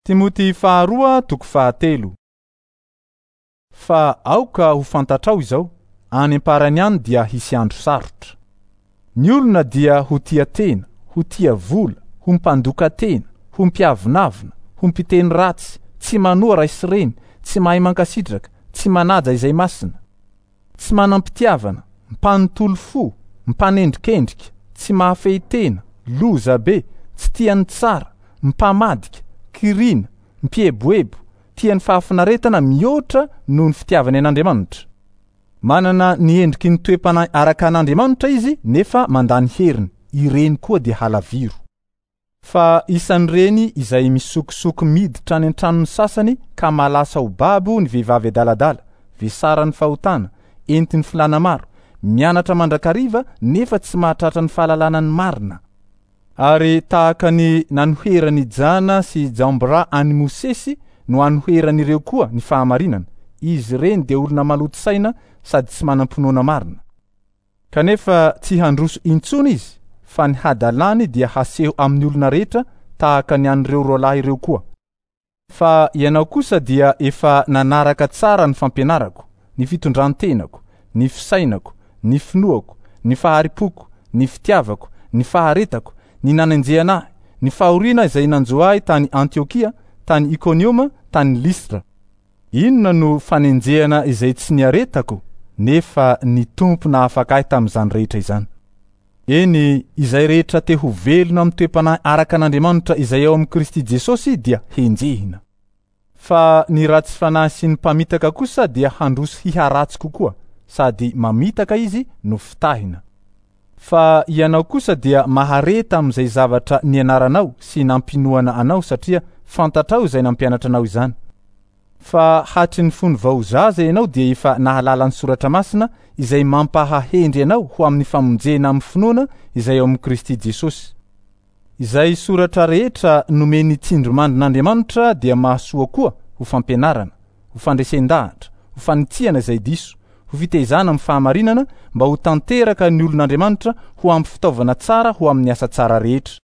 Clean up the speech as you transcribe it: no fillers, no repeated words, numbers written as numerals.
Timoty faharoa toko fahatelo. Fa aoka ho fantatrao izao, any am-parany any dia hisy andro sarotra. Ny olona dia ho tia tena, ho tia vola, ho mpandoka tena, ho mpiavonavona, ho mpiteny ratsy, tsy manoa ray sy reny, tsy mahay mankasitraka, tsy manaja izay masina, tsy manam-pitiavana, mpanontolo fo, mpanendrikendrika, tsy mahafehy tena, loza be, tsy tia ny tsara, mpamadika, kirina, mpieboebo, tia ny fahafinaretana mihoatra noho ny fitiavany an'Andriamanitra. Manana ny endriky ny toe-panahy araka an'Andriamanitra izy nefa mandà ny heriny, ireny koa dia halaviro. Fa isan'ireny izay misokosoko miditra any an-tranon'ny sasany ka malasa ho babo ny vehivavy adaladala, vesaran'ny fahotana, entin'ny filàna maro, mianatra mandrakariva nefa tsy mahatratra ny fahalalana ny marina. Ary tahaka ny nanoheran'i Jana sy Jambra an'i Mosesy no anoheran'ireo koa ny fahamarinana, izy ireny dia olona maloto saina sady tsy manam-pinoana marina. Kanefa tsy handroso intsony izy, fa ny hadalany dia haseho amin'ny olona rehetra tahaka ny an'ireo roalahy ireo koa. Fa ianao kosa dia efa nanaraka tsara ny fampianarako, ny fitondran-tenako, ny fisainako, ny finoako, ny fahari-poko, ny fitiavako, ny faharetako, ny nanenjehana ahy, ny fahoriana izay nanjo ahy tany Antiokia, tany Ikonioma, tany Lystra. Inona no fanenjehana izay tsy niaretako, nefa ny Tompo nahafaka ahy tamin'izany rehetra izany. Eny, izay rehetra te ho velona amin'ny toe-panahy araka an'Andriamanitra izay ao amin'i Kristy Jesosy dia henjehina. Fa ny ratsy fanahy sy ny mpamitaka kosa dia handroso hiharatsy kokoa, sady mamitaka izy no fitahina. Fa ianao kosa dia mahareta amin'izay zavatra nianaranao sy nampinoana anao satria fantatrao izay nampianatra anao izany. Fa hatry ny fony vao zaza ianao dia efa nahalala ny soratra masina izay mampahahendry anao ho amin'ny famonjena amin'ny finoana izay ao amin'i Kristy Jesosy. Izay soratra rehetra nomen'ny tsindrimandrin'Andriamanitra dia mahasoa koa ho fampianarana, ho fandresen-dahatra, ho fanitsiana izay diso, ho fitaizana amin'ny fahamarinana mba ho tanteraka ny olon'Andriamanitra ho ampy fitaovana tsara ho amin'ny asa tsara rehetra.